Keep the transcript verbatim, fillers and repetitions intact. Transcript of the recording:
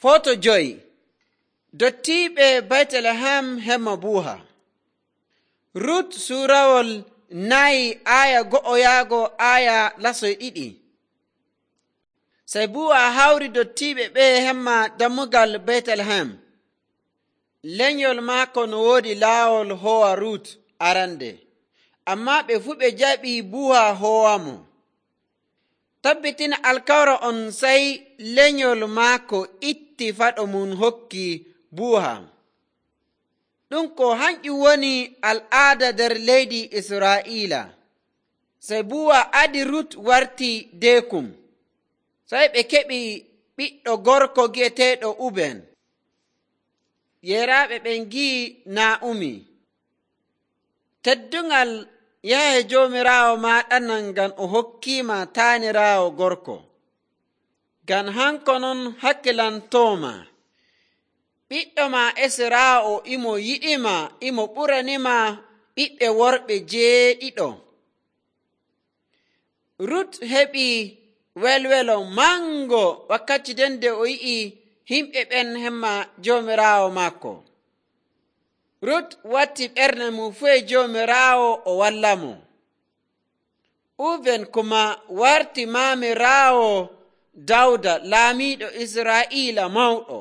Foto joyi. Dottiiɓe Betlehem hemma buuha. Rut suurawol nayi aya go'o yaago aya lasoy ɗiɗi. Sai buuha hawri dottiiɓe ɓe hemma dammugal Betlehem. Lenyol maako no woodi laawol hoowa Rut arande, amma ɓe fuu ɓe jaɓi buuha hoowamo. Tabbitina alkawra on sai lenyol maako itti faɗo mum hokki buuha. Ɗum ko hanƴum woni al'aada nder leydi Israa'iila. Sai buuha adi Rut warti deekum. Sai ɓe keɓi ɓiɗɗo gorko gi'eteeɗo Uben. Yeraaɓe ɓen gi'i Naa'umi. Teddungal yahe Joomiraawo ma ɗanan ngam o hokkiima taaniraawo gorko. Ngam hanko non hakkilantooma. Ɓiɗɗo ma Esraawo imo yiɗima, imo ɓuranima ɓiɓɓe worɓe jeeɗiɗo. Rut heɓi welwelo mango wakkati den nde o yi'i himɓe ɓen hemma Joomiraawo maako. Rut watti ɓernde mum fu e Joomiraawo o wallamo. Uben kuma warti maamiraawo Dawda laamiiɗo Israa'iila mawɗo.